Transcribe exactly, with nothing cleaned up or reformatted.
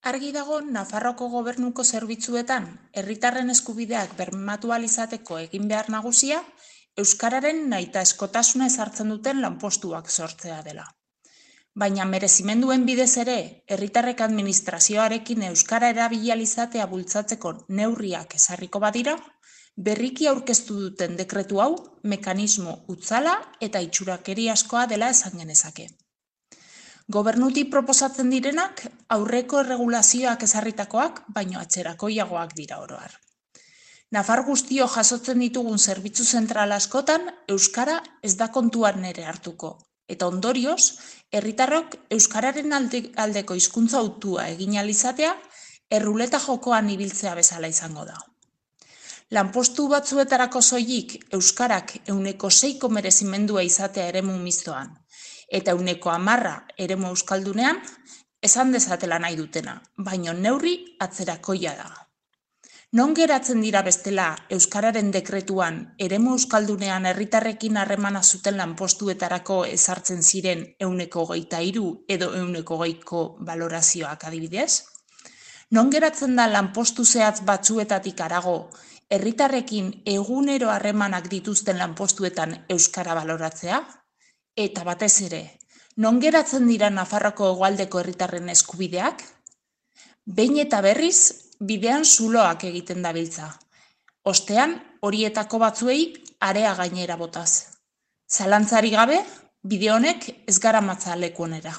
Argi dago Nafarroako Gobernuko zerbitzuetan herritarren eskubideak bermatu ahal izateko egin behar nagusia euskararen nahitaezkotasuna ezartzen duten lanpostuak sortzea dela. Baina merezimenduen bidez ere, herritarrek administrazioarekin euskara erabili ahal izatea bultzatzeko neurriak ezarriko badira, berriki aurkeztu duten dekretu hau mekanismo hutsala eta itxurakeriazkoa dela esan genezake. Gobernutik proposatzen direnak aurreko erregulazioak ezarritakoak, baino atzerakoiagoak dira oro har. Nafar guztio jasotzen ditugun zerbitzu zentral askotan euskara ez da kontuan ere hartuko, eta ondorioz, herritarrok euskararen aldeko hizkuntza hautua egin ahal izatea erruleta jokoan ibiltzea bezala izango da. Lanpostu batzuetarako soilik euskarak ehuneko seiko merezimendua izatea eremu mistoan, eta ehuneko hamarra eremu euskaldunean, esan dezatela nahi dutena, baino neurri atzerakoia da. Non geratzen dira bestela euskararen dekretuan eremu euskaldunean herritarrekin harremana zuten lanpostuetarako ezartzen ziren ehuneko hogeita hiru edo ehuneko hogeiko balorazioak adibidez? Non geratzen da lanpostu zehatz batzuetatik harago herritarrekin egunero harremanak dituzten lanpostuetan euskara baloratzea? Eta batez ere, non geratzen dira Nafarroako hegoaldeko herritarren eskubideak? Behin eta berriz, bidean zuloak egiten dabiltza. Ostean, horietako batzuei area gainera botaz. Zalantzarik gabe, bide honek ez garamatza leku onera.